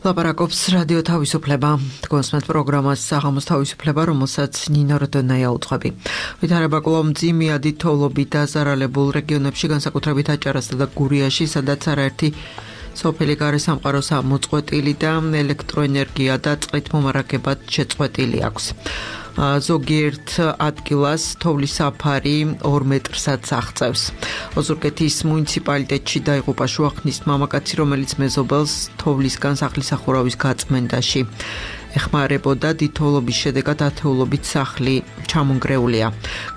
ლაპარაკობს რადიო თავისუფლება. თქვენსმენთ პროგრამას საღამოს თავისუფლება, რომელსაც ნინო როდონაია უძღვები. ვითარება კვლავ მძიმეა თოვლობით დაზარალებულ რეგიონებში, განსაკუთრებით აჭარასა და გურიაში, სადაც არაერთი სოფელი გარესამყაროს მოწყვეტილი და ელექტროენერგია და წყლით მომარაგებად შეწყვეტილი აქვს. ზოგიერთ ადგილას თოვლის საფარი 2 მეტრსაც აღწევს. ოზურგეთის მუნიციპალიტეტში დაიღუპა შუახნის მამაკაცი, რომელიც მეზობელს თოვლისგან სახლის სახურავის გაწმენდაში ეხმარებოდა. თოვლობის შედეგად ათეულობით სახლი ჩამონგრეულია.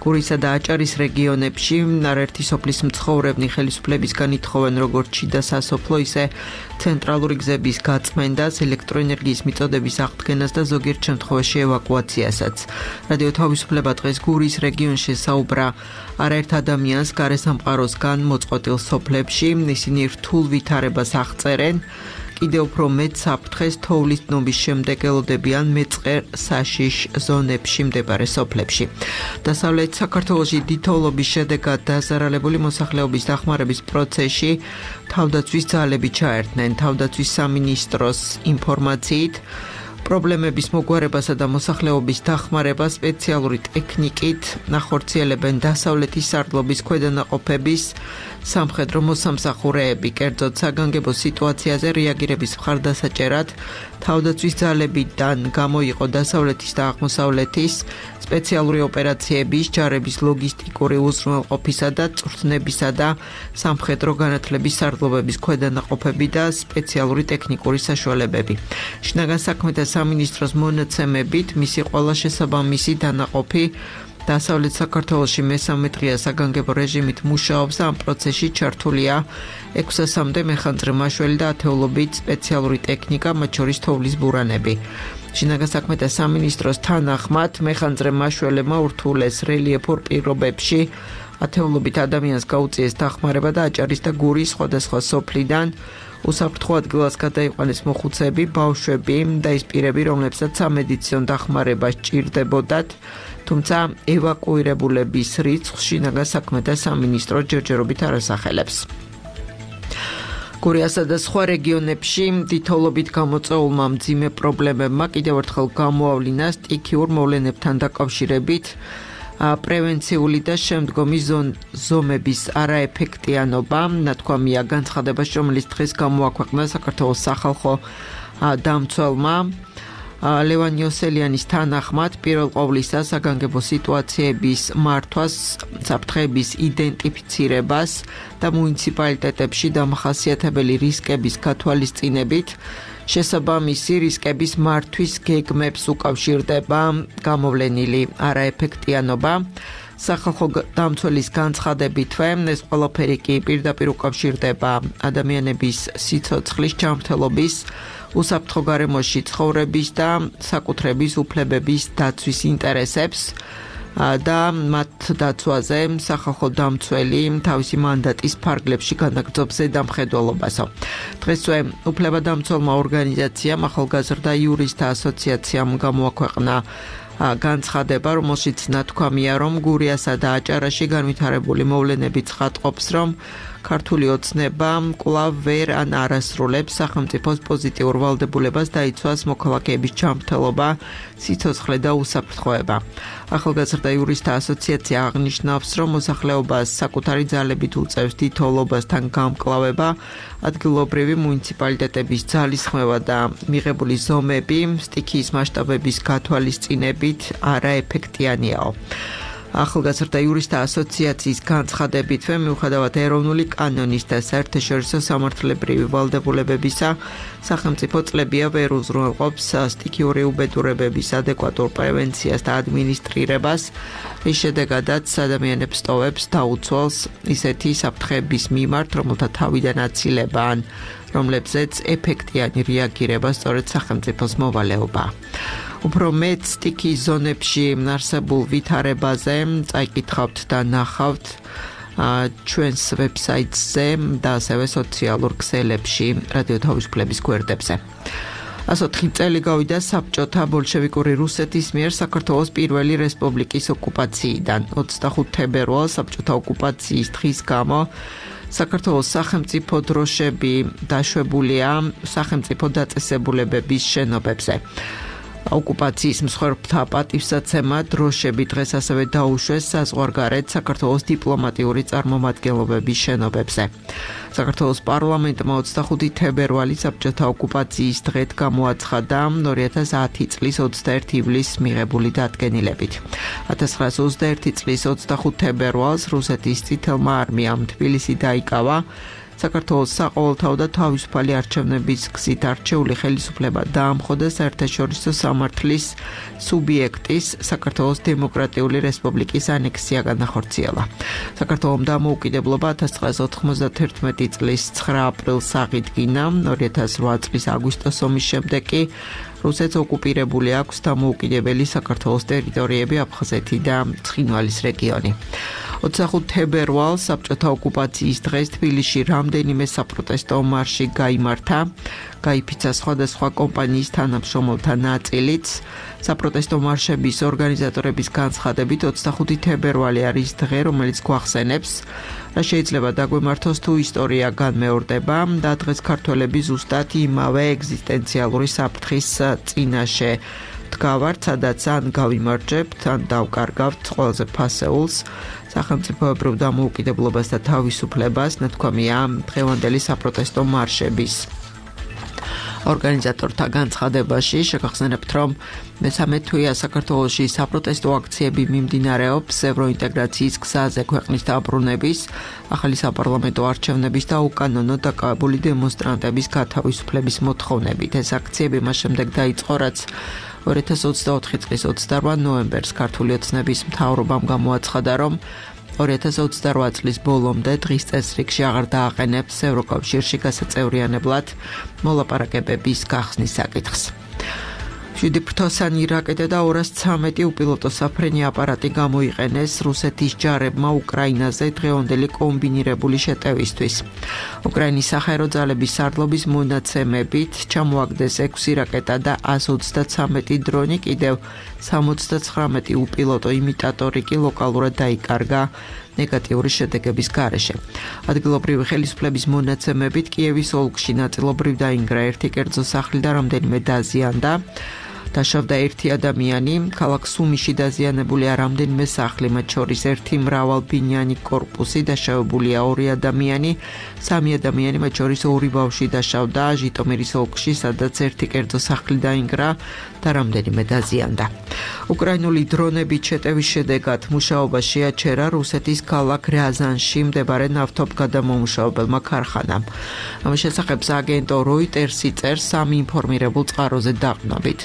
გურისა და აჭარის რეგიონებში არაერთი სოფლის მცხოვრებნი ხელისუფლებისგან ითხოვენ როგორც შიდა სასოფლო, ისე ცენტრალური გზების გაწმენდას, ელექტროენერგიის მიწოდების აღდგენას და ზოგიერთ შემთხვევაში ევაკუაციასაც. რადიო თავისუფლება დღეს გურის რეგიონში საუბრა არაერთ ადამიანს გარესამყაროსგან მოწყვეტილ სოფლებში. ისინი რთულ ვითარებას აღწერენ. კიდევ უფრო მეტ საფრთხეს თოვლის დნობის შემდეგ ელოდებიან მეწყერ საშიშ ზონებში მდებარე სოფლებში. დასავლეთ საქართველოში თოვლობის შედეგად დაზარალებული მოსახლეობის დახმარების პროცესში თავდაცვის ძალები ჩაერთნენ. თავდაცვის სამინისტროს ინფორმაციით პრობლემების მოგვარებასა და მოსახლეობის დახმარებას სპეციალური ტექნიკით ახორციელებენ დასავლეთის სარდლობის ქვედანაყოფების სამხედრო მოსამსახურეები. კერძოდ საგანგებო სიტუაციაზე რეაგირების მხარდასაჭერად თავდაცვის ძალებიდან გამოიყო დასავლეთის და აღმოსავლეთის სპეციალური ოპერაციების, ჯარების ლოგისტიკური უზრუნველყოფისა და წვრთნებისა და სამხედრო განათლების სარდლობების ქვედანაყოფები და სპეციალური ტექნიკური საშუალებები. შინაგან საქმეთა სამინისტროს მონაცემებით მისი ყველა შესაბამისი დანაყოფი დასავლეთ საქართველოში მესამე დღეა საგანგებო რეჟიმით მუშაობს და ამ პროცესში ჩართულია 600-მდე მეხანძრე მაშველი და ათეულობით სპეციალური ტექნიკა, მათ შორის თოვლის ბურანები. შინაგან საქმეთა სამინისტროს თანახმად მეხანძრე მაშველებმა ურთულეს რელიეფურ პირობებში ათეულობით ადამიანს გაუწიეს დახმარება და აჭარის და გურის სხვადასხვა სოფლიდან უსაფრთხო ადგილას გადაიყვანეს მოხუცეები, ბავშვები და ის პირები, რომლებსაც სამედიცინო დახმარება სჭირდებოდათ, თუმცა ევაკუირებულების რიცხვს შინაგან საქმეთა სამინისტრო ჯერჯერობით არ ასახელებს. გურიასა და სხვა რეგიონებში თოვლობით გამოწვეულმა მძიმე პრობლემებმა კიდევ ერთხელ გამოავლინა სტიქიურ მოვლენებთან დაკავშირებით პრევენციული და შემდგომი ზომების არაეფექტიანობა. ნათქვამია განცხადებაში, რომელიც დღეს გამოაქვეყნა საქართველოს სახალხო დამცველმა ლევან იოსელიანის თანახმად, პირველ ყოვლისა საგანგებო სიტუაციების მართვას, საფრთხეების იდენტიფიცირებას და მუნიციპალიტეტებში დამახასიათებელი რისკების გათვალისწინებით შესაბამისი რისკების მართვის გეგმებს უკავშირდება გამოვლენილი არაეფექტიანობა. სახალხო დამცველის განცხადებით, ეს ყველაფერი კი პირდაპირ უკავშირდება ადამიანების სიცოცხლის ჯანმრთელობის, უსაფრთხო გარემოში ცხოვრების და საკუთრების უფლებების დაცვის ინტერესებს და მათ დაცვაზე სახალხო დამცველი თავისი მანდატის ფარგლებში განაგრძობს ზედამხედველობასო. დღესვე უფლებადამცველმა ორგანიზაციამ ახალგაზრდა იურისტთა ასოციაციამ გამოაქვეყნა განცხადება, რომელშიც ნათქვამია, რომ გურიასა და აჭარაში განვითარებული მოვლენები ცხადყოფს, რომ ქართული ოცნება კვლავ ვერ ან არასრულებს სახელმწიფოს პოზიტიურ ვალდებულებას დაიცვას მოქალაქეების ჯანმრთელობა, სიცოცხლე და უსაფრთხოება. ახალგაზრდა იურისტთა ასოციაცია აღნიშნავს, რომ მოსახლეობას საკუთარი ძალებით უწევს თოვლობასთან გამკლავება, ადგილობრივი მუნიციპალიტეტების ძალისხმევა და მიღებული ზომები სტიქიის მასშტაბების გათვალისწინებით არაეფექტიანიაო. ახალგაზრდა იურისტთა ასოციაციის განცხადებითვე, მიუხედავად ეროვნული კანონის და საერთაშორისო სამართლებრივი ვალდებულებებისა, სახელმწიფო წლებია ვერ უზრუნველყოფს სტიქიური უბედურებების ადეკვატურ პრევენციას და ადმინისტრირებას, რის შედეგადაც ადამიანებს ტოვებს დაუცველს ისეთი საფრთხეების მიმართ, რომელთა თავიდან აცილება ან რომლებზეც ეფექტიანი რეაგირება სწორედ სახელმწიფოს მოვალეობა. უფრო მეტ სტიქიის ზონებში არსებულ ვითარებაზე წაიკითხავთ და ნახავთ ჩვენს ვებსაიტზე და ასევე სოციალურ ქსელებში რადიო თავისუფლების გვერდებზე. 104 წელი გავიდა საბჭოთა ბოლშევიკური რუსეთის მიერ საქართველოს პირველი რესპუბლიკის ოკუპაციიდან. 25 თებერვალს საბჭოთა ოკუპაციის დღის გამო საქართველოს სახელმწიფო დროშები დაშვებულია სახელმწიფო დაწესებულებების შენობებზე. ოკუპაციის მსხვერპლთა პატივსაცემად დროშები დღეს ასევე დაუშვეს საზღვარგარეთ საქართველოს დიპლომატიური წარმომადგენლობების შენობებზე. საქართველოს პარლამენტმა 25 თებერვალის საბჭოთა ოკუპაციის დღედ გამოაცხადა 2010 წლის 21 ივლისს მიღებული დადგენილებით. 1921 წლის 25 თებერვალს რუსეთის წითელმა არმიამ თბილისი დაიკავა. საქართველოს საყოველთაო და თავისუფალი არჩევნების გზით არჩეული ხელისუფლება დაამხოდა საერთაშორისო სამართლის სუბიექტის საქართველოს დემოკრატიული რესპუბლიკის ანექსია განახორციელა. საქართველომ დამოუკიდებლობა 1991 წლის 9 აპრილს აღიდგინა, 2008 წლის აგვისტოს ომის შემდეგ კი რუსეთს ოკუპირებული აქვს დამოუკიდებელი საქართველოს ტერიტორიები აფხაზეთი და ცხინვალის რეგიონი. 25 თებერვალს საბჭოთა ოკუპაციის დღეს თბილისში რამდენიმე საპროტესტო მარში გაიმართა. გაიფიცა სხვადასხვა კომპანიის თანამშრომელთა ნაწილიც. საპროტესტო მარშების ორგანიზატორების განცხადებით 25 თებერვალი არის დღე, რომელიც გვახსენებს, რა შეიძლება დაგვემართოს თუ ისტორია განმეორდება და დღეს ქართველები ზუსტად იმავე ეგზისტენციალური საფრთხის წინაშე დგავართ, სადაც ან გავიმარჯვებთ, ან დავკარგავთ ყველაზე ფასეულს სახელმწიფოებრივ დამოუკიდებლობას და თავისუფლებას, ნათქვამია დღევანდელი საპროტესტო მარშების ორგანიზატორთა განცხადებაში. შეგახსენებთ, რომ მესამე თვეა საქართველოში საპროტესტო აქციები მიმდინარეობს ევროინტეგრაციის გზაზე ქვეყნის დაბრუნების, ახალი საპარლამენტო არჩევნების და უკანონო დაკავებული დემონსტრანტების გათავისუფლების მოთხოვნებით. ეს აქციები მას შემდეგ დაიწყო, რაც 2024 წლის 28 ნოემბერს ქართული ოცნების მთავრობამ გამოაცხადა, რომ 2028 წლის ბოლომდე დღის წესრიგში აღარ დააყენებს ევროკავშირში გასაწევრიანებლად მოლაპარაკებების გახსნის საკითხს. 7 ფრთოსანი რაკეტა და 213 უპილოტო საფრენი აპარატი გამოიყენეს რუსეთის ჯარებმა უკრაინაზე დღევანდელი კომბინირებული შეტევისთვის. უკრაინის საჰაერო ძალების სარდლობის მონაცემებით ჩამოაგდეს 6 რაკეტა და 133 დრონი, კიდევ 79 უპილოტო იმიტატორი კი ლოკალურად დაიკარგა ნეგატიური შედეგების გარეშე. ადგილობრივი ხელისუფლების მონაცემებით კიევის ოლქში ნაწილობრივ დაინგრა ერთი კერძო სახლი და რამდენიმე დაზიანდა. დაშავდა ერთი ადამიანი, ქალაქ სუმიში დაზიანებულია რამდენიმე სახლი, მათ შორის ერთი მრავალბინიანი კორპუსი, დაშავებულია 2 ადამიანი, 3 ადამიანი, მათ შორის 2 ბავშვი დაშავდა ჟიტომირის ოლქში, სადაც ერთი კერძო სახლი დაინგრა და რამდენიმე დაზიანდა. უკრაინული დრონებით შეტევის შედეგად მუშაობა შეაჩერა რუსეთის ქალაქ რიაზანში მდებარე ნავთობგადამომუშავებელმა ქარხანამ. ამის შესახებ აგენტო როიტერსი წერს 3 ინფორმირებულ წყაროზე დაყნობით.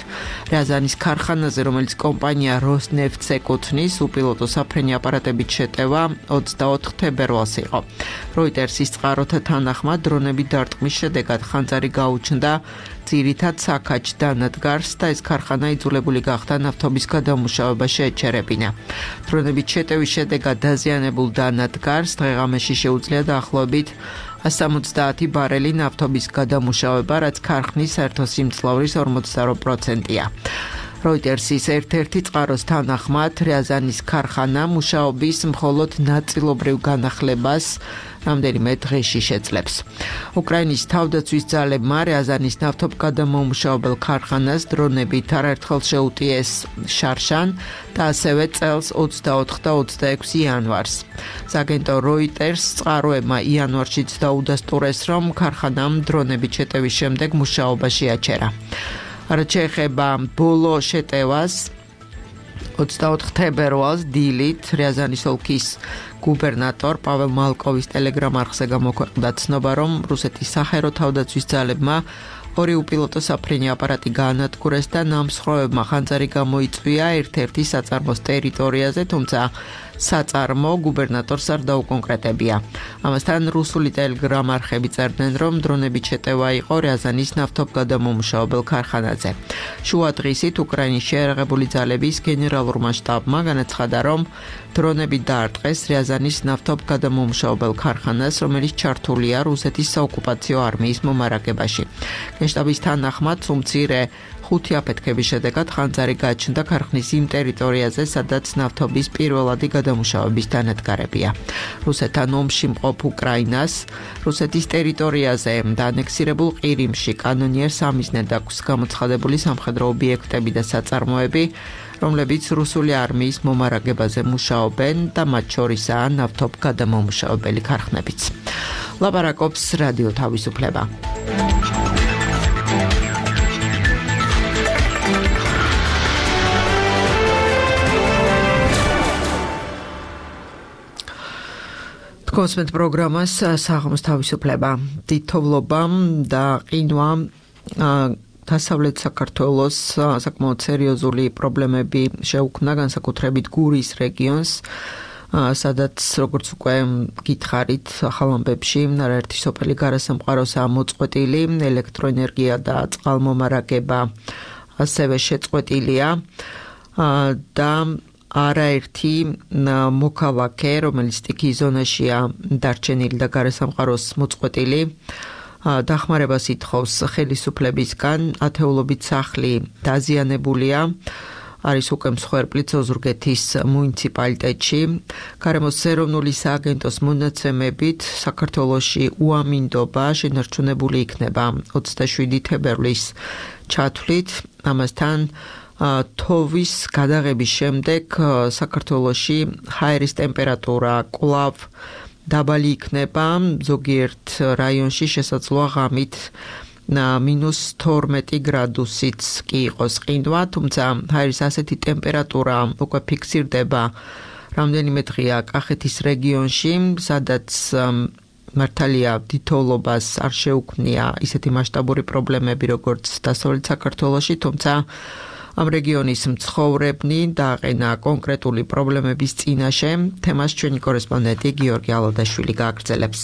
რიაზანის ქარხანაზე, რომელიც კომპანია როსნეფტს ეკუთვნის, უპილოტო საფრენი აპარატებით შეტევა 24 თებერვალს იყო. როიტერსის წყაროთა თანახმად დრონების დარტყმის შედეგად ხანძარი გაუჩნდა ძირითად საქაჩ დანადგარს და ეს ქარხანა იძულებული გახდა ნავთობის გადამუშავება შეეჩერებინა. დრონებით შეტევის შედეგად დაზიანებულ დანადგარს დღეღამეში შეუძლია დაახლოებით 170 ბარელი ნავთობის გადამუშავება, რაც ქარხნის საერთო სიმძლავრის 48%-ია. როიტერსის ერთ-ერთი წყაროს თანახმად რიაზანის ქარხანა მუშაობის მხოლოდ ნაწილობრივ განახლებას რამდენიმე დღეში შეძლებს. უკრაინის თავდაცვის ძალებმა რიაზანის ნავთობგადამომუშავებელ ქარხანას დრონებით არაერთხელ შეუტიეს შარშან და ასევე წელს 24 და 26 იანვარს. აგენტო როიტერს წყაროებმა იანვარშიც დაუდასტურეს, რომ ქარხანამ დრონებით შეტევის შემდეგ მუშაობა შეაჩერა. რაც შეეხება ბოლო შეტევას 24 თებერვალს დილით რიაზანის ოლქის გუბერნატორ პაվել მალკოვის ტელეგრამ არხზე გამოქვეყნდა ცნობა, რომ რუსეთის საჰაერო თავდაცვის ძალებმა 2 უპილოტო საფრენი აპარატი გაანადგურეს და ნამსხვრევებმა ხანძარი გამოიწვია ერთ-ერთი საწარმოს ტერიტორიაზე, თუმცა საწარმო გუბერნატორს არ დაუკონკრეტებია. ამასთან რუსული ტელეგრამ არხები წერდნენ, რომ დრონებით შეტევა იყო რიაზანის ნავთობგადამომუშავებელ ქარხანაზე. შუა დღისით უკრაინის შეიარაღებული ძალების გენერალურმა შტაბმა განაცხადა, რომ დრონებით დაარტყეს რიაზანის ნავთობგადამომუშავებელ ქარხანას, რომელიც ჩართულია რუსეთის საოკუპაციო არმიის მომარაგებაში. გენშტაბის თანახმად უმცირე 5 აფეთქების შედეგად ხანძარი გაჩნდა ქარხნის იმ ტერიტორიაზე, სადაც ნავთობის პირველადი გადამუშავების დანადგარებია. რუსეთთან ომში მყოფ უკრაინას რუსეთის ტერიტორიაზე და ანექსირებულ ყირიმში კანონიერ სამიზნედ აქვს გამოცხადებული სამხედრო ობიექტები და საწარმოები, რომლებიც რუსული არმიის მომარაგებაზე მუშაობენ და მათ შორისაა ნავთობგადამამუშავებელი ქარხნებიც. ლაპარაკობს რადიო თავისუფლება. კონსმეთ პროგრამას საღამოს თავისუფლება. თითოვლობა და ყინვა დასავლეთ საქართველოს საკმაოდ სერიოზული პრობლემები შეუქმნა განსაკუთრებით გურის რეგიონს, სადაც როგორც უკვე გითხარით ახალ ამბებში არაერთი სოფელი გარესამყაროსაა მოწყვეტილი, ელექტროენერგია და წყალმომარაგება ასევე შეწყვეტილია და არაერთი მოქალაქე, რომელიც სტიქიის ზონაშია დარჩენილი და გარესამყაროს მოწყვეტილი, დახმარებას ითხოვს ხელისუფლებისგან. ათეულობით სახლი დაზიანებულია, არის უკვე მსხვერპლიც ოზურგეთის მუნიციპალიტეტში. გარემოს ეროვნული სააგენტოს მონაცემებით საქართველოში უამინდობა შენარჩუნებული იქნება 27 თებერვლის ჩათვლით. ამასთან თოვის გადაღების შემდეგ საქართველოში ჰაერის ტემპერატურა კვლავ დაბალი იქნება, ზოგიერთ რაიონში შესაძლოა ღამით -12 გრადუსიც კი იყოს ყინვა, თუმცა ჰაერის ასეთი ტემპერატურა უკვე ფიქსირდება რამდენიმე დღეა კახეთის რეგიონში, სადაც მართალია თითოვლობას არ შეუქმნია ისეთი მასშტაბური პრობლემები, როგორც დასავლეთ საქართველოში, თუმცა ამ რეგიონის მცხოვრებნი დააყენა კონკრეტული პრობლემების წინაშე. თემას ჩვენი კორესპონდენტი გიორგი ალოდაშვილი გააგრძელებს.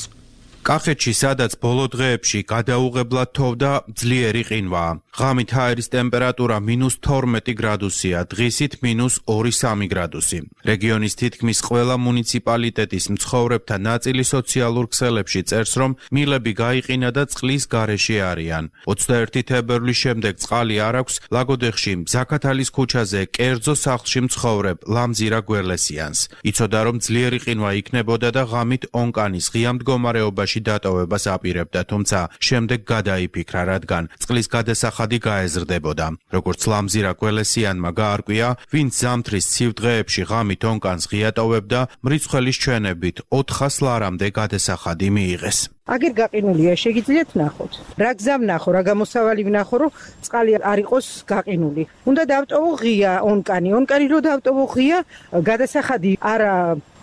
კახეთში, სადაც ბოლო დღეებში გადაუღებლად თოვდა ძლიერი ყინვა. ღამით ჰაერის ტემპერატურა -12 გრადუსია, დღისით -2-3 გრადუსი. რეგიონის თითქმის ყველა მუნიციპალიტეტის მცხოვრებთა ნაწილი სოციალურ ქსელებში წერს, რომ მილები გაიყინა და წყლის გარეშე არიან. 21 თებერვლის შემდეგ წყალი არ აქვს ლაგოდეხში, ზაქათალის ქუჩაზე, კერძო სახლში მცხოვრებ ლამზირა გველესიანს. იცოდა, რომ ძლიერი ყინვა იქნებოდა და ღამით ონკანის ღია მდგომარეობაში დატოვებას აპირებდა, თუმცა შემდეგ გადაიფიქრა, რადგან წყლის გადასახადი გაეზრდებოდა. როგორც ლამზირა გველესიანმა გაარკვია, ვინც ზამთრის ცივ დღეებში ღამით ონკანს ღია ტოვებდა, მრიცხველის ჩვენებით 400 ლარამდე გადასახადი მიიღეს. აგერ გაყინულია, შეგიძლიათ ნახოთ. რა გზა ვნახო, რა გამოსავალი ვნახო, რომ წყალი არ იყოს გაყინული. უნდა დავტოვო ღია ონკანი. ონკანი რო დავტოვო ღია, გადასახადი არა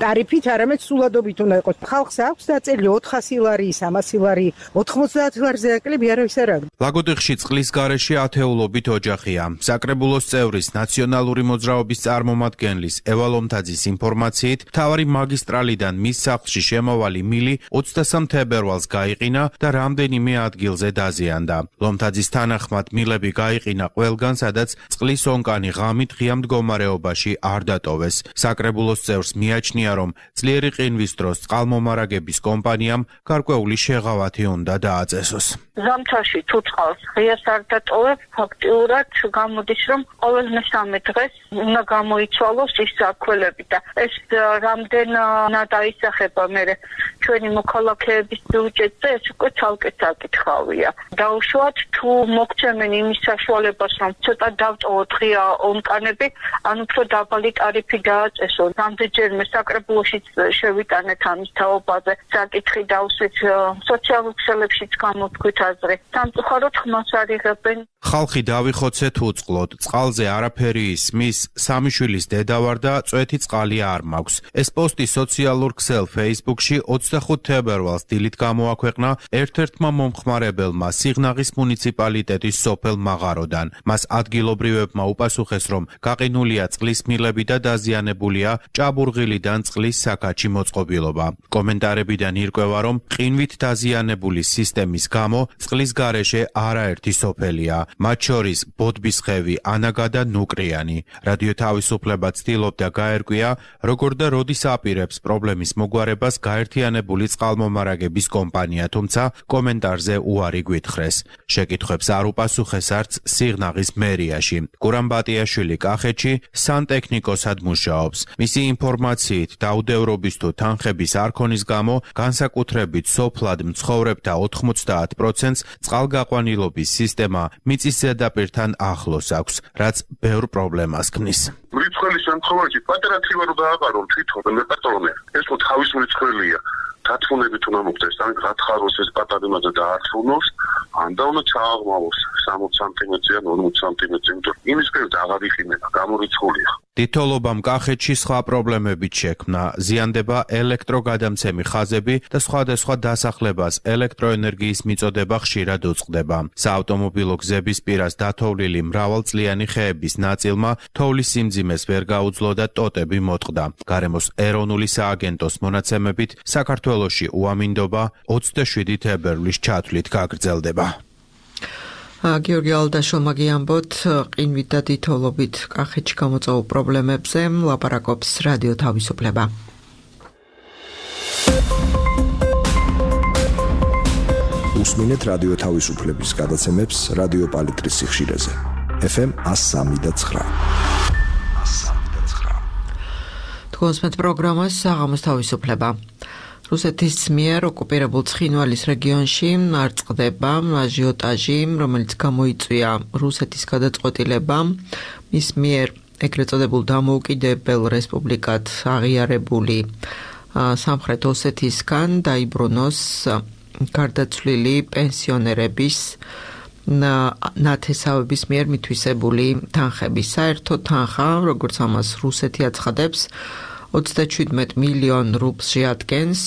ტარიფით, არამედ სულადობით უნდა იყოს. ხალხს აქვს დაწელი 400 ლარი, 300 ლარი, 90 ლარზე აკლები არავის არ აქვს. ლაგოდეხში წყლის გარეშე ათეულობით ოჯახია. საკრებულოს წევრის ნაციონალური მოძრაობის წარმომადგენლის ევა ლომთაძის ინფორმაციით, მთავარი მაგისტრალიდან მის სახლში შემავალი მილი 23 თებერვალს გაიყინა და რამდენიმე ადგილზე დაზიანდა. ლომთაძის თანახმად მილები გაიყინა ყველგან, სადაც წყლის ონკანი ღამით ღია მდგომარეობაში არ დატოვეს. საკრებულოს წევრს მიაჩნია, რომ ძლიერი ყინვის დროს წყალმომარაგების კომპანიამ გარკვეული შეღავათი უნდა დააწესოს. ზამთარში თუ წყალს ღიას არ დატოვებ, ფაქტიურად გამოდის, რომ ყოველ მესამე დღეს უნდა გამოიცვალოს ის საქველები და ეს რამდენად აისახება მე ჩვენი მოქალაქეების ბიუჯეტზე, ეს უკვე ცალკე საკითხავია. დაუშვათ თუ მოგცემენ იმის საშუალებას, რომ ცოტა დავტოვოთ ღია ონკანები, ან უფრო დაბალი ტარიფი დააწესო. რამდენჯერმე საკრებულოშიც შევიტანეთ ამის თაობაზე საკითხი დავსვით, სოციალურ ქსელებშიც გამოთქვით აზრი. სამწუხაროდ ხმას არ იღებენ. ხალხი დავიხოცეთ უწყლოდ, წყალზე არაფერი ისმის, სამი შვილის დედა ვარ და წვეთი წყალი არ მაქვს. ეს პოსტი სოციალურ ქსელ Facebook-ში 25 თებერვალს დილით გამოაქვეყნა ერთ-ერთმა მომხმარებელმა სიღნაღის მუნიციპალიტეტის სოფელ მაღაროდან. მას ადგილობრივებმა უპასუხეს, რომ გაყინულია წყლის მილები და დაზიანებულია ჭაბურღილიდან წყლის საქაჩი მოწყობილობა. კომენტარებიდან ირკვევა, რომ ყინვით დაზიანებული სისტემის გამო წყლის გარეშე არაერთი სოფელია. მათ შორის ბოდბისხევი, ანაგა და ნუკრიანი. რადიო თავისუფლება ცდილობდა გაერკვია, როგორ და როდის აპირებს პრობლემის მოგვარებას გაერთიანებული წყალმომარაგების კომპანია, თუმცა კომენტარზე უარი გვითხრეს. შეკითხვებს არ უპასუხეს არც სიღნაღის მერიაში. გურამ ბატიაშვილი კახეთში სანტექნიკოსად მუშაობს. მისი ინფორმაციით დაუდევრობის თუ თანხების არ ქონის გამო განსაკუთრებით სოფლად მცხოვრებთა 90%-ს წყალგაყვანილობის სისტემა მიწის ზედაპირთან ახლოს აქვს, რაც ბევრ პრობლემას ქმნის. მრიცხელი შემთხვევაში პატარა თივა რო დააყარონ თვითონ მეპატრონე, ეს ხო თავის მრიცხელია. დათმუნებით უნდა მოხდეს, ან გათხაროს ეს პატარა იმაზე დაართუნოს, ან და უნდა ჩააღმავოს 60 სანტიმეტრი ან 40 სანტიმეტრი, იმიტომ იმის პირდა აღარ იყინება, გამორიცხულია. თითოლობამ კახეთში სხვა პრობლემებით შექმნა, ზიანდება ელექტროგადამცემი ხაზები და სხვადასხვა დასახლებას ელექტროენერგიის მიწოდება ხშირად უწყდება. საავტომობილო გზების პირას დათოვლილი მრავალწლიანი ხეების ნაწილმა თოვლის სიმძიმეს ვერ გაუძლო და ტოტები მოტყდა. გარემოს ეროვნული სააგენტოს მონაცემებით საქართველოში უამინდობა 27 თებერვლის ჩათვლით გაგრძელდება. გიორგი ალდაშოვმა გიამბოთ ყინვით და თითოლობით კახეთში გამოწვეულ პრობლემებზე ლაპარაკობს რადიო თავისუფლება. უსმინეთ რადიო თავისუფლების გადაცემებს რადიო პალიტრის სიხშირეზე. FM 103.9. თქვენს პროგრამას საღამოს თავისუფლება. რუსეთის მიერ ოკუპირებულ ცხინვალის რეგიონში არ წყდება აჟიოტაჟი, რომელიც გამოიწვია რუსეთის გადაწყვეტილებამ მის მიერ ეგრეთ წოდებულ დამოუკიდებელ რესპუბლიკად აღიარებული სამხრეთ ოსეთისგან დაიბრუნოს გარდაცვლილი პენსიონერების ნათესავების მიერ მითვისებული თანხები. საერთო თანხა, როგორც ამას რუსეთი აცხადებს, 37 მილიონ რუბლს შეადგენს,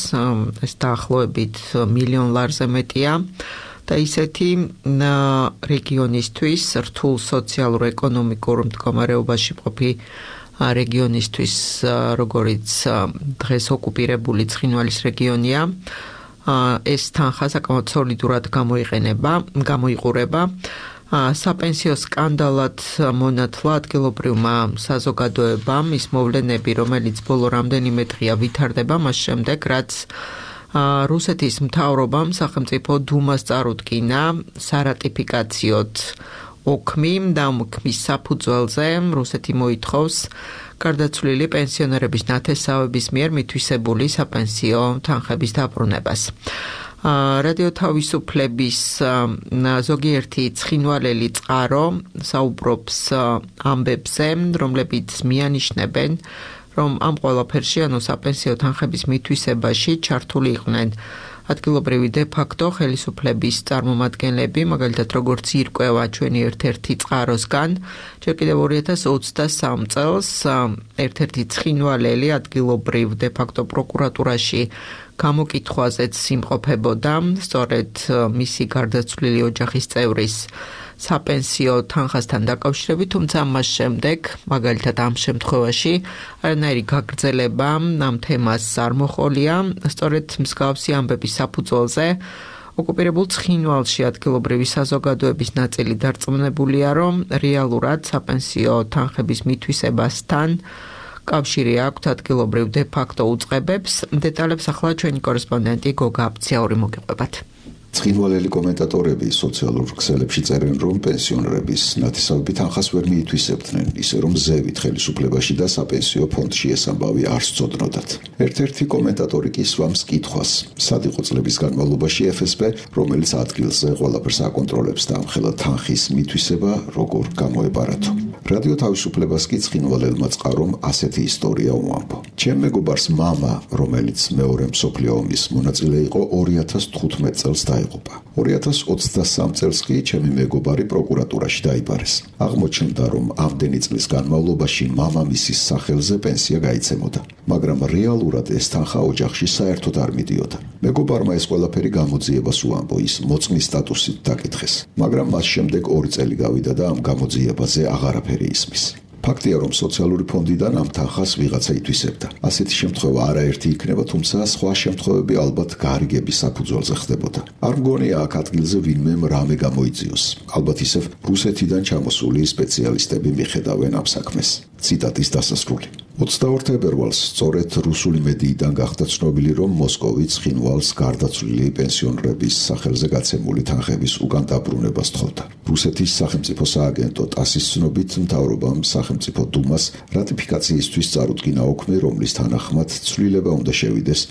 ეს დაახლოებით მილიონ ლარზე მეტია და ისეთი რეგიონისთვის, რთულ სოციალურ-ეკონომიკურ მდგომარეობაში მყოფი რეგიონისთვის, როგორიც დღეს ოკუპირებული ცხინვალის რეგიონია, ეს თანხა საკმაოდ სოლიდურად გამოიყურება. საპენსიო სკანდალად მონათლა ადგილობრივმა საზოგადოებამ ის მოვლენები, რომელიც ბოლო რამდენიმე დღეა ვითარდება მას შემდეგ, რაც რუსეთის მთავრობამ სახელმწიფო დუმას წარუდგინა სარატიფიკაციოდ ოქმი და ოქმის საფუძველზე რუსეთი მოითხოვს გარდაცვლილი პენსიონერების ნათესავების მიერ მითვისებული საპენსიო თანხების დაბრუნებას. რადიო თავისუფლების ზოგიერთი ცხინვალელი წყარო საუბრობს ამბებზე, რომლებიც მიანიშნებენ, რომ ამ ყველაფერში, ანუ საპენსიო თანხების მითვისებაში ჩართული იყვნენ ადგილობრივი დე-ფაქტო ხელისუფლების წარმომადგენლები, მაგალითად როგორც ირკვევა ჩვენი ერთ-ერთი წყაროსგან, ჯერ კიდევ 2023 წელს ერთ-ერთი ცხინვალელი ადგილობრივ დე-ფაქტო პროკურატურაში გამოკითხვაზეც იმყოფებოდა, სწორედ მისი გარდაცვლილი ოჯახის წევრის საპენსიო თანხასთან დაკავშირებით, თუმცა მას შემდეგ, მაგალითად ამ შემთხვევაში, არანაირი გაგრძელება ამ თემას არ მოჰყოლია, სწორედ მსგავსი ამბების საფუძველზე ოკუპირებულ ცხინვალში ადგილობრივი საზოგადოების ნაწილი დარწმუნებულია, რომ რეალურად საპენსიო თანხების მითვისებასთან კავშირი აქვს ადგილობრივ დე-ფაქტო უწყებებს. დეტალებს ახლა ჩვენი კორესპონდენტი გოგა აბცაური მოგიყვებათ. ცხინვალელი კომენტატორები სოციალურ ქსელებში წერენ, რომ პენსიონერების ნათესავები თანხას ვერ მიითვისებდნენ, ისე რომ ზევით ხელისუფლებაში და საპენსიო ფონდში ეს ამბავი არ სწოდნოდათ. ერთ-ერთი კომენტატორი კი სვამს კითხვას, სად იყო წლების განმავლობაში FSB, რომელიც ადგილზე ყველაფერს აკონტროლებს და ამხელა თანხის მითვისება როგორ გამოეპარათო. რადიო თავისუფლებას კი ცხინვალელმა წყარომ ასეთი ისტორია უამბო. ჩემ მეგობარს მამა, რომელიც მეორე მსოფლიო ომის მონაწილე იყო, 2015 წელს დაიღუპა. 2023 წელს კი ჩემი მეგობარი პროკურატურაში დაიბარეს. აღმოჩნდა, რომ ამდენი წლის განმავლობაში მამამისის სახელზე პენსია გაიცემოდა, მაგრამ რეალურად ეს თანხა ოჯახში საერთოდ არ მიდიოდა. მეგობარმა ეს ყველაფერი გამოძიებას უამბო, ის მოწმის სტატუსით დაკითხეს, მაგრამ მას შემდეგ 2 წელი გავიდა და ამ გამოძიებაზე აღარაფერი ისმის. ფაქტია, რომ სოციალური ფონდიდან ამ თანხას ვიღაცა ითვისებდა. ასეთი შემთხვევა არაერთი იქნება, თუმცა სხვა შემთხვევები ალბათ გარიგების საფუძველზე ხდებოდა. არ მგონია აქ ადგილზე ვინმემ რამე გამოიძიოს. ალბათ ისევ რუსეთიდან ჩამოსული სპეციალისტები მიხედავენ ამ საქმეს. ციტატის დასასრული. 22 თებერვალს სწორედ რუსული მედიიდან გახდა ცნობილი, რომ მოსკოვი ცხინვალს გარდაცვლილი პენსიონერების სახელზე გაცემული თანხების უკან დაბრუნებას თხოვდა. რუსეთის სახელმწიფო სააგენტო ტასის ცნობით, მთავრობამ სახელმწიფო დუმას რატიფიკაციისთვის წარუდგინა ოქმე, რომლის თანახმად ცვლილება უნდა შევიდეს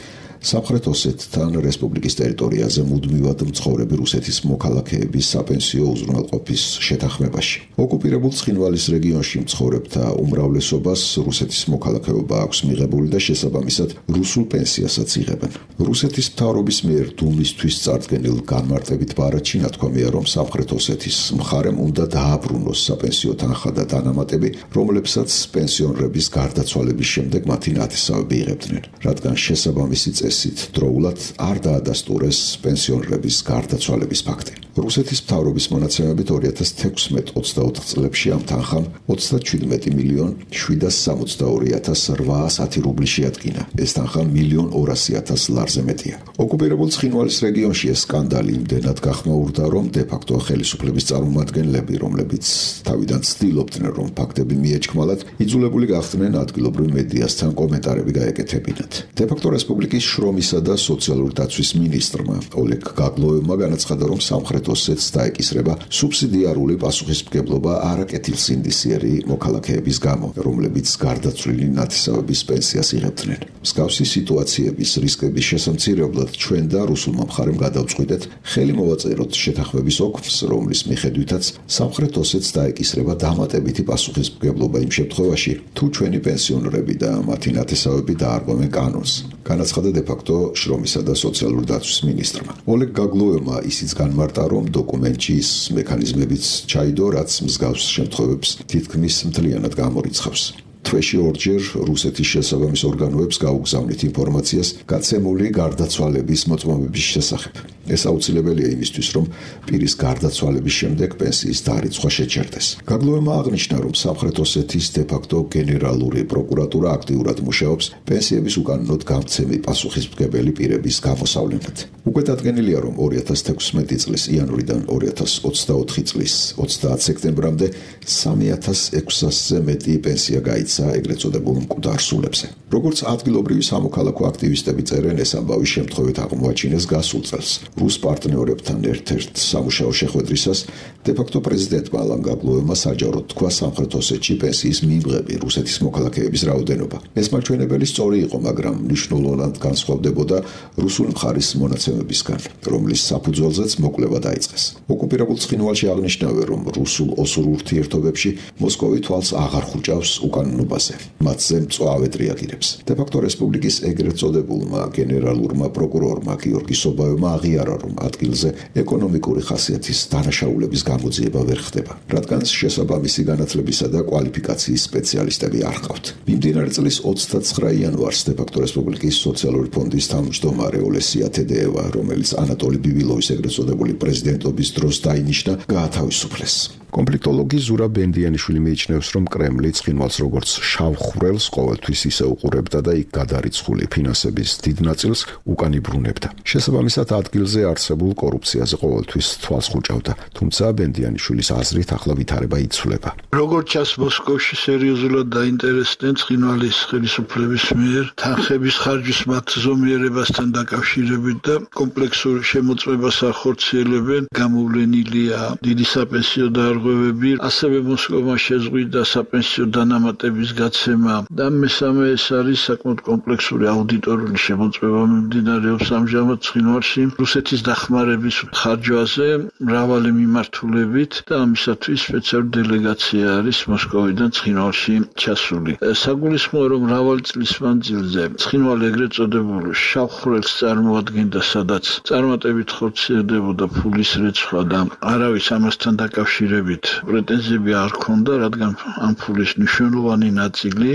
სამხრეთ ოსეთთან რესპუბლიკის ტერიტორიაზე მუდმივად მცხოვრები რუსეთის მოქალაქეების საპენსიო უზრუნველყოფის შეთანხმებაში. ოკუპირებულ ცხინვალის რეგიონში მცხოვრებთა უმრავლესობას რუსეთის მოქალაქეობა აქვს მიღებული და შესაბამისად რუსულ პენსიასაც იღებენ. რუსეთის მთავრობის მიერ დუმისთვის წარდგენილ განმარტებით ბარათში ნათქვამია, რომ სამხრეთ ოსეთის მხარემ უნდა დააბრუნოს საპენსიო თანხა და დანამატები, რომლებსაც პენსიონერების გარდაცვალების შემდეგ მათი ნათესავები იღებდნენ, რადგან შესაბამისი წესით დროულად არ დაადასტურეს პენსიონერების გარდაცვალების ფაქტი. რუსეთის მთავრობის მონაცემებით 2016-24 წლებში ამ თანხამ 37,762,810 რუბლი შეადგინა. ეს თანხა 1,200,000 ლარზე მეტია. ოკუპირებულ ცხინვალის რეგიონში ეს სკანდალი იმდენად გახმაურდა, რომ დე-ფაქტო ხელისუფლების წარმომადგენლები, რომლებიც თავიდან ცდილობდნენ, რომ ფაქტები მიეჩქმალათ, იძულებული გახდნენ ადგილობრივ მედიასთან კომენტარები გაეკეთებინათ. დე-ფაქტო რესპუბლიკის შრომისა და სოციალური დაცვის მინისტრმა ოლეგ გაგლოევმა განაცხადა, რომ სამხრეთ ოსეთს დაეკისრება სუბსიდიარული პასუხისმგებლობა არაკეთილსინდისიერი მოქალაქეების გამო, რომლებიც გარდაცვლილი ნათესავების პენსიას იღებდნენ. მსგავსი სიტუაციების რისკების შესამცირებლად ჩვენ და რუსულმა მხარემ გადავწყვიტეთ ხელი მოვაწეროთ შეთანხმების ოქმს, რომლის მიხედვითაც სამხრეთ ოსეთს დაეკისრება დამატებითი პასუხისმგებლობა იმ შემთხვევაში, თუ ჩვენი პენსიონერები და მათი ნათესავები დაარღვევენ კანონს. განაცხადა დე-ფაქტო შრომისა და სოციალური დაცვის მინისტრმა. ოლეგ გაგლოევმა ისიც განმარტა, რომ დოკუმენტში ის მექანიზმებიც ჩაიდო, რაც მსგავს შემთხვევებს თითქმის მთლიანად გამორიცხავს. თვეში ორჯერ რუსეთის შესაბამის ორგანოებს გაუგზავნით ინფორმაციას გაცემული გარდაცვალების მოწმობების შესახებ. ეს აუცილებელია იმისთვის, რომ პირის გარდაცვალების შემდეგ პენსიის დარიცხვა შეჩერდეს. გაგლოევმა აღნიშნა, რომ სამხრეთ ოსეთის დე-ფაქტო გენერალური პროკურატურა აქტიურად მუშაობს პენსიების უკანონოდ გამცემი პასუხისმგებელი პირების გამოსავლენად. უკვე დადგენილია, რომ 2016 წლის იანვრიდან 2024 წლის 30 სექტემბრამდე 3,600-ზე მეტი პენსია გაიცა ეგრეთ წოდებულ მკვდარ სულებზე. როგორც ადგილობრივი სამოქალაქო აქტივისტები წერენ, ეს ამბავი შემთხვევით აღმოაჩინეს გასულ წელს. რუს პარტნიორებთან ერთ-ერთ სამუშაო შეხვედრისას დე-ფაქტო პრეზიდენტმა ალან გაგლოევმა საჯაროდ თქვა სამხრეთ ოსეთში პენსიის მიმღები რუსეთის მოქალაქეების რაოდენობა. ეს მაჩვენებელი სწორი იყო, მაგრამ მნიშვნელოვნად განსხვავდებოდა რუსული მხარის მონაცემებისგან, რომლის საფუძველზეც მოკვლევა დაიწყეს. ოკუპირებულ ცხინვალში აღნიშნავენ, რომ რუსულ-ოსურ ურთიერთობებში მოსკოვი თვალს აღარ ხუჭავს უკანონობაზე. მათზე მწვავედ რეაგირებს. დე-ფაქტო რესპუბლიკის ეგრეთ წოდებულმა გენერალურმა პროკურორმა გიორგი სობაევმა აღიარა, რომ ადგილზე ეკონომიკური ხასიათის დანაშაულების გამოძიება ვერ ხდება, რადგან შესაბამისი განათლებისა და კვალიფიკაციის სპეციალისტები არ ჰყავთ. მიმდინარე წლის 29 იანვარს დე-ფაქტო რესპუბლიკის სოციალური ფონდის თავმჯდომარე ოლესია თედეევა, რომელიც ანატოლი ბივილოვის ეგრეთ წოდებული პრეზიდენტობის დროს დაინიშნა, გაათავისუფლეს. კონფლიქტოლოგი ზურაბ ბენდიანიშვილი მიიჩნევს, რომ კრემლი ცხინვალს როგორც შავ ხვრელს ყოველთვის ისე უყურებდა და იქ გადარიცხული ფინანსების დიდ ნაწილს უკან იბრუნებდა. შესაბამისად, ადგილზე არსებულ კორუფციაზე ყოველთვის თვალს ხუჭავდა, თუმცა ბენდიანიშვილის აზრით ახლა ვითარება იცვლება. როგორც ჩანს, მოსკოვში სერიოზულად დაინტერესდნენ ცხინვალის ხელისუფლების მიერ თანხების ხარჯვის მათ ზომიერებასთან დაკავშირებით და კომპლექსურ შემოწმებას ახორციელებენ. გამოვლენილია დიდი საპენსიო დარღვევები, ასევე მოსკოვმა შეზღვიდა საპენსიო დანამატების გაცემა და მესამე ეს არის საკმაოდ კომპლექსური აუდიტორული შემოწმება მიმდინარეობს ამჟამად ცხინვალში რუსეთის დახმარების ხარჯვაზე მრავალი მიმართულებით და ამისათვის სპეციალური დელეგაცია არის მოსკოვიდან ცხინვალში ჩასული. საგულისხმოა, რომ მრავალი წლის მანძილზე ცხინვალი ეგრეთ წოდებულ შავ ხვრელს წარმოადგენდა, სადაც წარმატებით ხორციელდებოდა ფულის რეცხვა და არავის ამასთან დაკავშირებით პრეტენზიები არ ჰქონდა, რადგან ამ ფულის მნიშვნელოვანი ნაწილი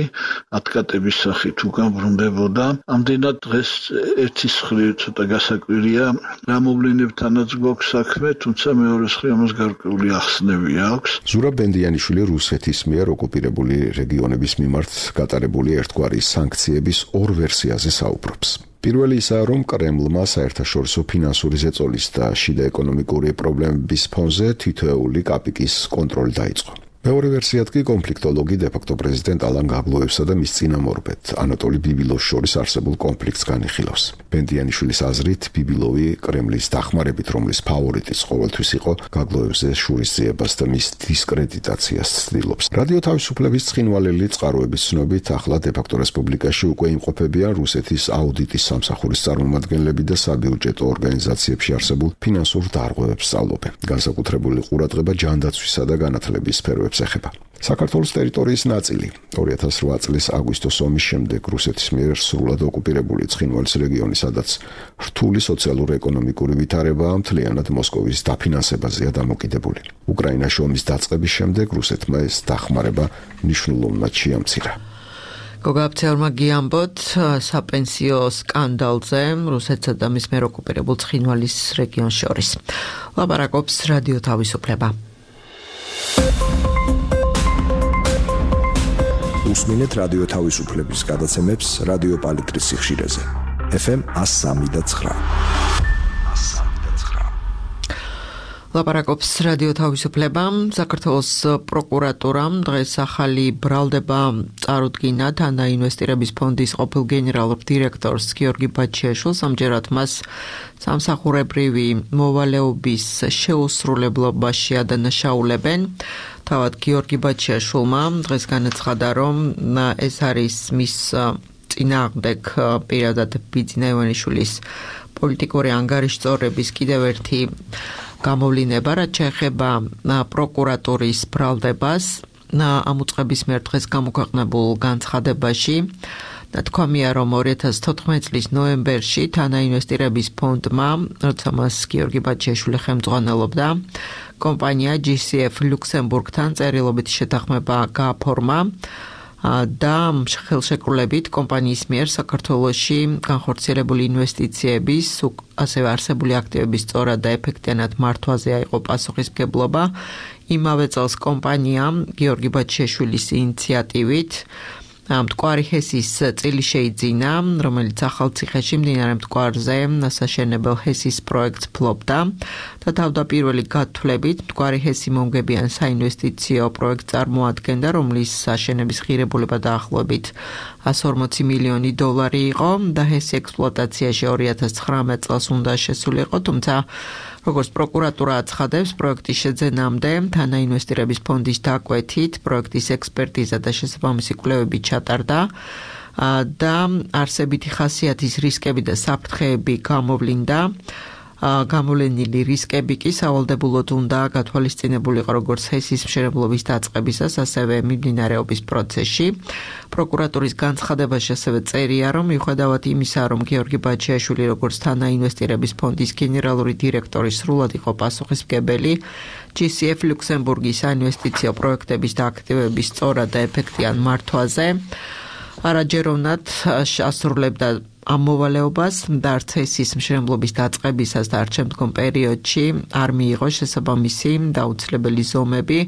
ათკატების სახით უკან ბრუნდებოდა. ამდენად დღეს ერთის მხრივ ცოტა გასაკვირია რა მოვლენებთანაც გვაქვს საქმე, თუმცა მეორე მხრივ ამას გარკვეული ახსნები აქვს. ზურაბ ბენდიანიშვილი რუსეთის მიერ ოკუპირებული რეგიონების მიმართ გატარებული ერთგვარი სანქციების ორ ვერსიაზე საუბრობს. პირველი ისაა, რომ კრემლმა საერთაშორისო ფინანსური ზეწოლის და შიდა ეკონომიკური პრობლემების ფონზე თითოეული კაპიკის კონტროლი დაიწყო. მეორე ვერსიად კი კონფლიქტოლოგი დე-ფაქტო პრეზიდენტ ალან გაგლოევსა და მის წინამორბედ ანატოლი ბიბილოვს შორის არსებულ კონფლიქტს განიხილავს. ბენდიანიშვილის აზრით, ბიბილოვი კრემლის დახმარებით, რომლის ფავორიტიც ყოველთვის იყო, გაგლოევზე შურისძიებას და მის დისკრედიტაციას ცდილობს. რადიო თავისუფლების ცხინვალელი წყაროების ცნობით, ახლა დე-ფაქტო რესპუბლიკაში უკვე იმყოფებიან რუსეთის აუდიტის სამსახურის წარმომადგენლები და საბიუჯეტო ორგანიზაციებში არსებულ ფინანსურ დარღვევებს სწავლობენ. განსაკუთრებული ყურადღება ჯანდაცვისა და განათლების სფეროებს ეხება. საქართველოს ტერიტორიის ნაწილი 2008 წლის აგვისტოს ომის შემდეგ რუსეთის მიერ სრულად ოკუპირებული ცხინვალის რეგიონი, სადაც რთული სოციალურ-ეკონომიკური ვითარებაა, მთლიანად მოსკოვის დაფინანსებაზეა დამოკიდებული. უკრაინაში ომის დაწყების შემდეგ რუსეთმა ეს დახმარება მნიშვნელოვნად შეამცირა. გოგაბცეორმა გიამბოთ საპენსიო სკანდალზე რუსეთსა და მის მიერ ოკუპირებულ ცხინვალის რეგიონს შორის. ლაპარაკობს რადიო თავისუფლება. უსმინეთ რადიო თავისუფლების გადაცემებს რადიო პალიტრის სიხშირეზე. FM 103.9. ლაპარაკობს რადიო თავისუფლება. საქართველოს პროკურატურამ დღეს ახალი ბრალდება წარუდგინა თანაინვესტირების ფონდის ყოფილ გენერალურ დირექტორს გიორგი ბაჩიაშვილს. ამჯერად მას სამსახურებრივი მოვალეობის შეუსრულებლობაში ადანაშაულებენ. თავად გიორგი ბაჩიაშვილმა დღეს განაცხადა, რომ ეს არის მის წინააღმდეგ პირადად ბიძინა ივანიშვილის პოლიტიკური ანგარიშწორების კიდევ ერთი გამოვლინება, რაც შეეხება პროკურატურის ბრალდებას. ამ უწყების მიერ დღეს გამოქვეყნებულ განცხადებაში თქვამია, რომ 2014 წლის ნოემბერში თანაინვესტირების ფონდმა, როცა მას გიორგი ბაჩიაშვილი ხელმძღვანელობდა, კომპანია GCF ლუქსემბურგთან წერილობითი შეთანხმება გააფორმა და ხელშეკრულებით კომპანიის მიერ საქართველოში განხორციელებული ინვესტიციების, ასევე არსებული აქტივების სწორად და ეფექტიანად მართვაზე აიღო პასუხისმგებლობა. იმავე წელს კომპანიამ გიორგი ბაჩიაშვილის ინიციატივით მტკვარი ჰესის წილი შეიძინა, რომელიც ახალციხეში მდინარე მტკვარზე სასაშენებელ ჰესის პროექტს ფლობდა და თავდაპირველი გათვლებით მტკვარი ჰესი მომგებიან საინვესტიციო პროექტს წარმოადგენდა, რომლის საშენების ღირებულება დაახლოებით 140 მილიონი დოლარი იყო და ჰესი ექსპლუატაციაში 2019 წელს უნდა შესულიყო, თუმცა როგორც პროკურატურა აცხადებს, პროექტის შეძენამდე თანაინვესტირების ფონდის დაკვეთით პროექტის ექსპერტიზა და შესაბამისი კვლევები ჩატარდა და არსებითი ხასიათის რისკები და საფრთხეები გამოვლინდა. გამოვლენილი რისკები კი სავალდებულოდ უნდა გათვალისწინებულიყო როგორც ჰესის მშენებლობის დაწყებისას, ასევე მიმდინარეობის პროცესში. პროკურატურის განცხადებაში ასევე წერია, რომ მიუხედავად იმისა, რომ გიორგი ბაჩიაშვილი როგორც თანაინვესტირების ფონდის გენერალური დირექტორი სრულად იყო პასუხისმგებელი GCF ლუქსემბურგის საინვესტიციო პროექტების და აქტივების სწორად და ეფექტიან მართვაზე, არაჯეროვნად ასრულებდა ამ მოვალეობას და არც ჰესის მშენებლობის დაწყებისას და არც შემდგომ პერიოდში არ მიიღო შესაბამისი დაუცლებელი ზომები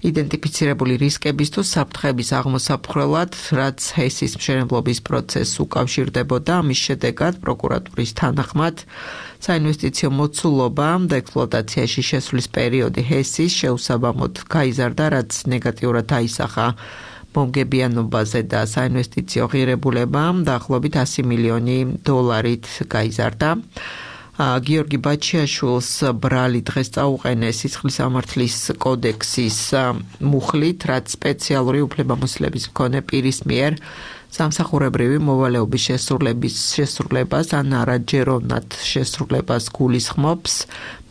იდენტიფიცირებული რისკების თუ საფრთხების აღმოსაფხრელად, რაც ჰესის მშენებლობის პროცესს უკავშირდებოდა. ამის შედეგად პროკურატურის თანახმად საინვესტიციო მოცულობა და ექსპლუატაციაში შესვლის პერიოდი ჰესის შეუსაბამოდ გაიზარდა, რაც ნეგატიურად აისახა მომგებიანობაზე და საინვესტიციო ღირებულება დაახლოებით 100 მილიონი დოლარით გაიზარდა. გიორგი ბაჩიაშვილს ბრალი დღეს წაუყენეს სისხლის სამართლის კოდექსის მუხლით, რაც სპეციალური უფლებამოსილების მქონე პირის მიერ სამსახურებრივი მოვალეობის შესრულებას ან არაჯეროვნად შესრულებას გულისხმობს.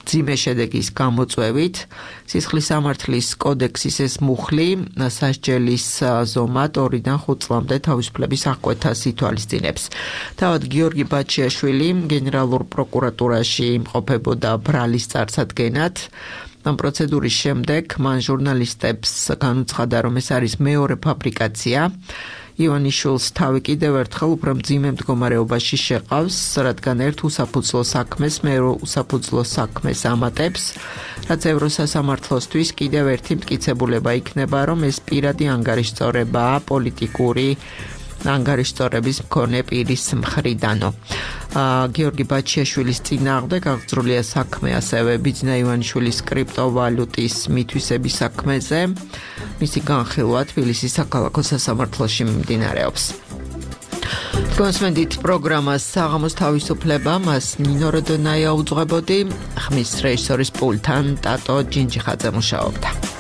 მძიმე შედეგის გამოწვევით სისხლის სამართლის კოდექსის ეს მუხლი სასჯელის ზომა 2-დან 5 წლამდე თავისუფლების აღკვეთას ითვალისწინებს. თავად გიორგი ბაჩიაშვილი გენერალურ პროკურატურაში იმყოფებოდა ბრალის წარსადგენად. ამ პროცედურის შემდეგ მან ჟურნალისტებს განუცხადა, რომ ეს არის მეორე ფაბრიკაცია. ივანიშვილს თავი კიდევ ერთხელ უფრო მძიმე მდგომარეობაში შეყავს, რადგან ერთ უსაფუძვლო საქმეს მეორე უსაფუძვლო საქმეს ამატებს, რაც ევროსასამართლოსთვის კიდევ ერთი მტკიცებულება იქნება, რომ ეს პირადი ანგარიშწორებაა პოლიტიკური ანგარიშწორების მქონე პირის მხრიდანო. გიორგი ბაჩიაშვილის წინააღმდეგ აღძრულია საქმე ასევე ბიძინა ივანიშვილის კრიპტოვალუტის მითვისების საქმეზე. მისი განხილვა თბილისის საქალაქო სასამართლოში მიმდინარეობს. კონსმენდით პროგრამას საღამოს თავისუფლება მას ნინო როდონაია უძღვებოდი, ხმის რეჟისორის პულტთან ტატო ჯინჯიხაძე მუშაობდა.